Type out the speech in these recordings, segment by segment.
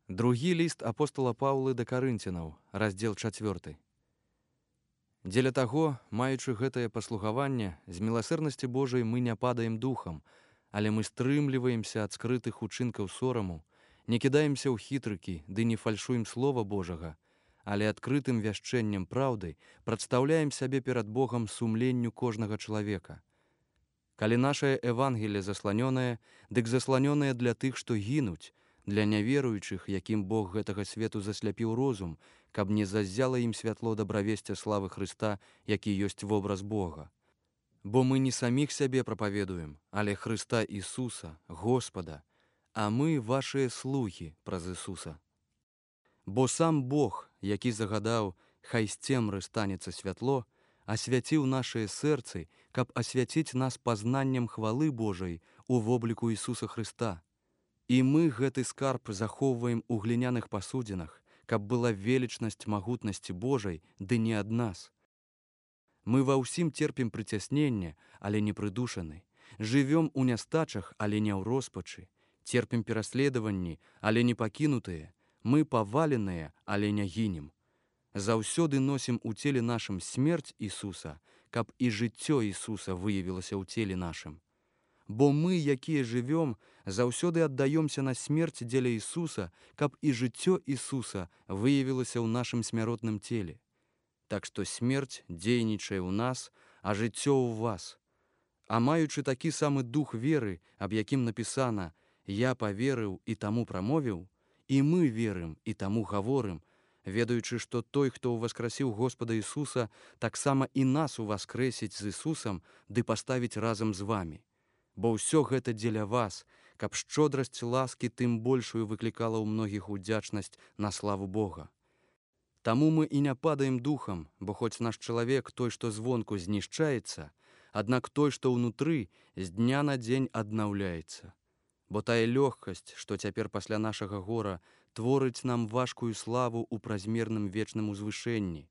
Другі ліст апостала Паўлы да карынцянаў, раздзел 4. Дзеля таго, маючы гэтае паслугаванне, з міласэрнасці Божай мы не падаем духам, але мы стрымліваемся ад скрытых учынкаў сораму, не кідаемся ў хітрыкі, ды не фальшуем слова Божага, але адкрытым вяшчэннем праўды прадстаўляем сябе перад Богам сумленню кожнага чалавека. Калі нашае Евангелие засланёнае, дык засланёнае для тых, што гінуць, для няверуючых, якім Бог гэтага свету засляпіў розум, каб не заззяла ім святло дабравесця славы Хрыста, які ёсць вобраз Бога. Бо мы не саміх сябе прапаведуем, але Хрыста Ісуса, Господа, а мы вашыя слугі праз Ісуса. Бо сам Бог, які загадаў, хай з цемры станецца святло, асвяціў нашыя сэрцы, каб асвяціць нас пазнаннем хвалы Божай у вобліку Ісуса Хрыста. І мы гэты скарб захоўваем у гліняных пасудзінах, каб была велічнасць магутнасці Божай, ды не ад нас. Мы ва ўсім терпім прыцясненне, але не прыдушаны, жывём у нястачах, але не ў роспачы, терпім пераследаванні, але не пакінутыя, мы паваленыя, але не гінем. Заўсёды носім у целе нашым смерць Ісуса, каб і жыццё Ісуса выявілася ў целе нашым. Бо мы, якія жывём, заўсёды аддаёмся на смерць дзеля Ісуса, каб і жыццё Ісуса выявілася ў нашым смяротным целе. Так што смерць дзейнічае ў нас, а жыццё ў вас. А маючы такі самы дух веры, аб якім напісана «Я паверыў і таму прамовіў», і мы верым і таму гаворым, ведаючы, што той, хто ўваскрасіў Господа Ісуса, таксама і нас уваскрэсіць з Ісусам ды паставіць разам з вамі. Бо ўсё гэта дзеля вас, каб шчодрасць ласкі тым большую выклікала ў многіх удзячнасць на славу Бога. Таму мы і не падаем духам, бо хоць наш чалавек, той, што звонку, знішчаецца, аднак той, што ўнутры, з дня на дзень аднаўляецца. Бо тая лёгкасць, што цяпер пасля нашага гора, творыць нам важкую славу ў празмерным вечным узвышэнні.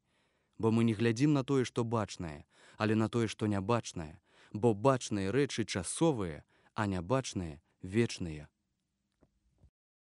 Бо мы не глядзім на тое, што бачнае, але на тое, што нябачнае, бо бачныя рэчы часовыя, а нябачныя вечныя.